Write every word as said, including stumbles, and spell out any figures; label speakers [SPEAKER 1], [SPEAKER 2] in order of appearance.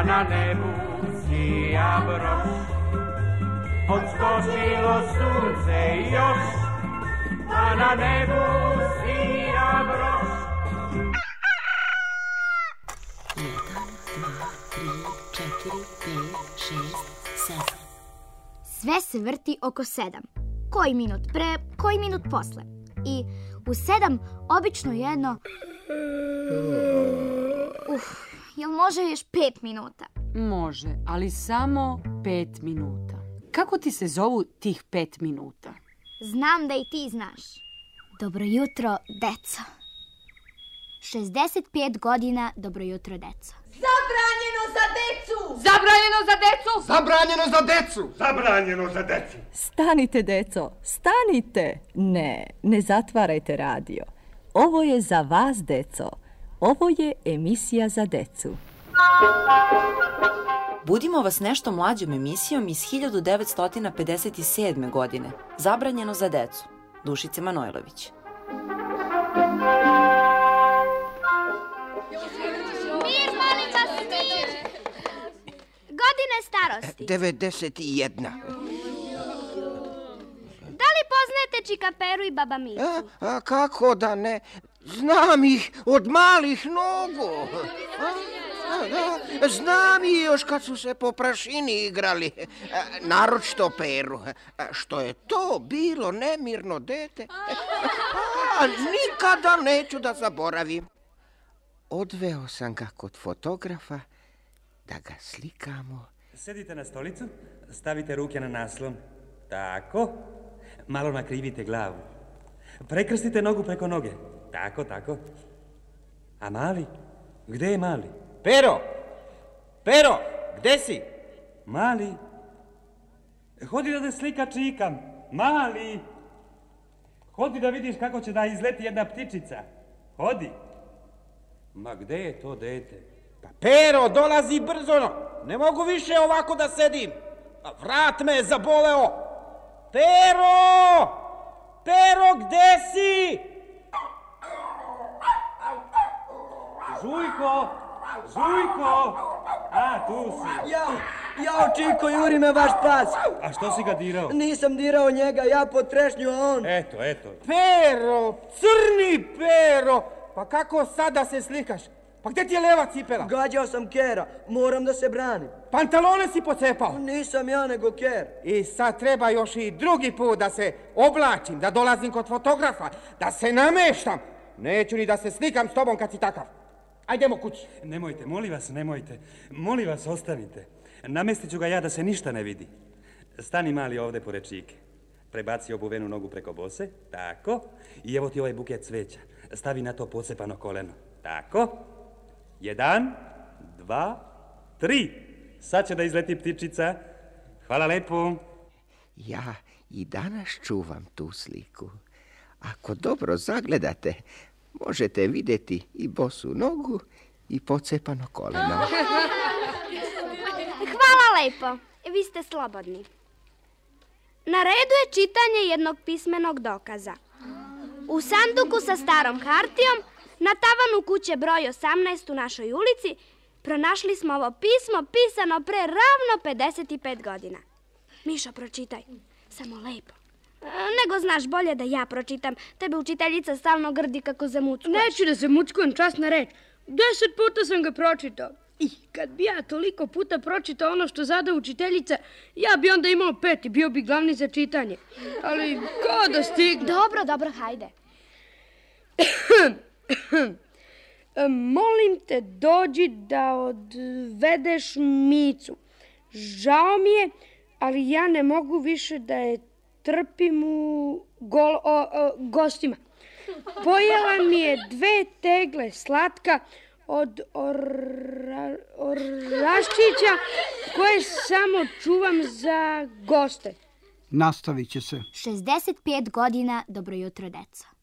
[SPEAKER 1] pa na nebu sija broš. Odskočilo sunce još, pa na nebu sija broš.
[SPEAKER 2] Jedan, dva, tri, četiri, pet, šest, sedam.
[SPEAKER 3] Sve se vrti oko sedam. Koji minut pre, koji minut posle. I u sedam obično jedno... Uf, jel može još pet minuta?
[SPEAKER 4] Može, ali samo pet minuta. Kako ti se zovu tih pet minuta?
[SPEAKER 3] Znam da i ti znaš. Dobro jutro, deco. šezdeset pet godina, dobro jutro, deco.
[SPEAKER 5] Zabranjeno za decu!
[SPEAKER 4] Zabranjeno za decu!
[SPEAKER 6] Zabranjeno za decu!
[SPEAKER 1] Zabranjeno za decu!
[SPEAKER 7] Stanite, deco, stanite! Ne, ne zatvarajte radio. Ovo je za vas, deco. Ovo je emisija za decu.
[SPEAKER 2] Budimo vas nešto mlađom emisijom iz hiljadu devetsto pedeset sedme. godine. Zabranjeno za decu. Dušice Manojlović.
[SPEAKER 3] Mir, molim vas, mir! Godine starosti.
[SPEAKER 6] devedeset jedna.
[SPEAKER 3] Da li poznajete Čikaperu i Baba Micu?
[SPEAKER 6] A, a kako da ne? Znam ih od malih nogu. A, a, a, znam ih još kad su se po prašini igrali. A, naročito Peru. A, što je to bilo nemirno dete. A, nikada neću da zaboravim. Odveo sam ga kod fotografa da ga slikamo.
[SPEAKER 1] Sedite na stolicu, stavite ruke na naslon. Tako. Malo nakrivite glavu. Prekrstite nogu preko noge. Tako, tako. A mali? Gde je mali?
[SPEAKER 6] Pero! Pero! Gde si?
[SPEAKER 1] Mali? Hodi da te slika čikam. Mali! Hodi da vidiš kako će da izleti jedna ptičica. Hodi. Ma gde je to dete?
[SPEAKER 6] Pa Pero, dolazi brzo. Ne mogu više ovako da sedim. Vrat me je zaboleo. Pero! Pero, gde si?
[SPEAKER 1] Žujko! Žujko! A, tu si.
[SPEAKER 8] Ja, ja, Čiko, juri me vaš pas.
[SPEAKER 1] A što si ga dirao?
[SPEAKER 8] Nisam dirao njega, ja pod trešnju, a on...
[SPEAKER 1] Eto, eto.
[SPEAKER 6] Pero, crni Pero! Pa kako sada se slikaš? Pa gde ti je leva cipela?
[SPEAKER 8] Gađao sam Kera, moram da se branim.
[SPEAKER 6] Pantalone si pocepao?
[SPEAKER 8] Nisam ja, nego Ker.
[SPEAKER 6] I sad treba još i drugi put da se oblačim, da dolazim kod fotografa, da se nameštam. Neću ni da se slikam s tobom kad si takav. Ajdemo kući.
[SPEAKER 1] Nemojte, molim vas, nemojte. Molim vas, ostanite. Namestit ću ga ja da se ništa ne vidi. Stani mali ovde pored čike. Prebaci obuvenu nogu preko bose. Tako. I evo ti ovaj buket cveća. Stavi na to pocepano koleno. Tako. Jedan, dva, tri. Sad će da izleti ptičica. Hvala lepo.
[SPEAKER 6] Ja i danas čuvam tu sliku. Ako dobro zagledate, možete vidjeti i bosu nogu i pocepano koleno.
[SPEAKER 3] Hvala lepo. Vi ste slobodni. Na redu je čitanje jednog pismenog dokaza. U sanduku sa starom hartijom, na tavanu kuće broj osamnaest u našoj ulici, pronašli smo ovo pismo pisano pre ravno pedeset pet godina. Mišo, pročitaj. Samo lepo. Nego znaš bolje da ja pročitam. Tebe učiteljica stalno grdi kako zamuckuješ.
[SPEAKER 9] Neću da zamuckujem, časna reč. Deset puta sam ga pročitao. I kad bi ja toliko puta pročitao ono što zada učiteljica, ja bi onda imao pet i bio bi glavni za čitanje. Ali ko da stigne?
[SPEAKER 3] Dobro, dobro, hajde.
[SPEAKER 9] Molim te, dođi da odvedeš Micu. Žao mi je, ali ja ne mogu više da je trpim u gol, o, o, gostima. Pojela mi je dve tegle slatka od ora, oraščića koje samo čuvam za goste.
[SPEAKER 10] Nastavit će se.
[SPEAKER 3] šezdeset pet godina, dobro jutro, deco.